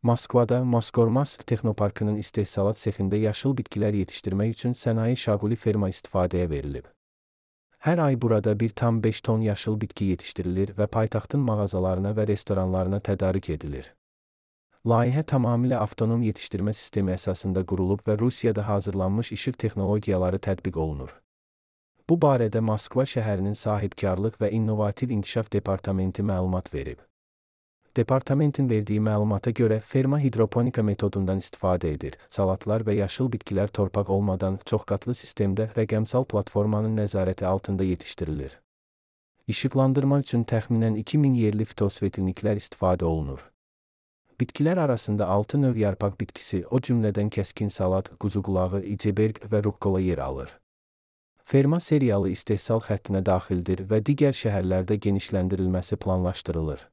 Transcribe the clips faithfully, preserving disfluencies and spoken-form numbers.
Moskvada Mosgormask Texnoparkının istehsalat sexində yaşıl bitkilər yetişdirmək üçün sənaye şaquli ferma istifadəyə verilib. Hər ay burada bir tam beş ton yaşıl bitki yetişdirilir və paytaxtın mağazalarına və restoranlarına tədarük edilir. Layihə tamamilə avtonom yetişdirmə sistemi əsasında qurulub və Rusiyada hazırlanmış işıq texnologiyaları tətbiq olunur. Bu barədə Moskva şəhərinin sahibkarlıq və innovativ inkişaf departamenti məlumat verib. Departamentin verdiyi məlumata görə ferma hidroponika metodundan istifadə edir. Salatlar və yaşıl bitkilər torpaq olmadan çoxqatlı sistemdə rəqəmsal platformanın nəzarəti altında yetişdirilir. İşıqlandırma üçün təxminən iki min yerli fitosvetilniklər istifadə olunur. Bitkilər arasında altı növ yarpaq bitkisi, o cümlədən kəskin salat, quzuqulağı, iceberg və rukkola yer alır. Ferma seriyalı istehsal xəttinə daxildir və digər şəhərlərdə genişləndirilməsi planlaşdırılır.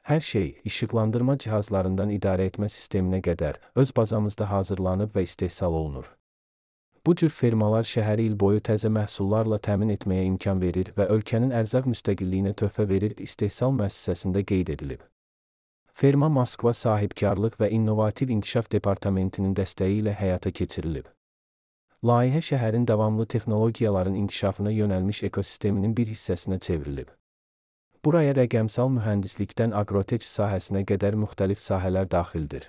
Hər şey, işıqlandırma cihazlarından idarə etmə sisteminə qədər öz bazamızda hazırlanıb və istehsal olunur. Bu cür fermalar şəhəri il boyu təzə məhsullarla təmin etməyə imkan verir və ölkənin ərzaq müstəqilliyinə töhfə verir istehsal müəssisəsində qeyd edilib. Ferma Moskva Sahibkarlıq və İnnovativ İnkişaf Departamentinin dəstəyi ilə həyata keçirilib. Layihə şəhərin davamlı texnologiyaların inkişafına yönəlmiş ekosisteminin bir hissəsinə çevrilib. Buraya rəqəmsal mühəndislikdən aqrotek sahəsinə qədər müxtəlif sahələr daxildir.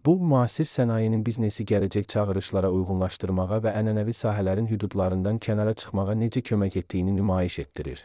Bu, müasir sənayenin biznesi gələcək çağırışlara uyğunlaşdırmağa və ənənəvi sahələrin hüdudlarından kənara çıxmağa necə kömək etdiyini nümayiş etdirir.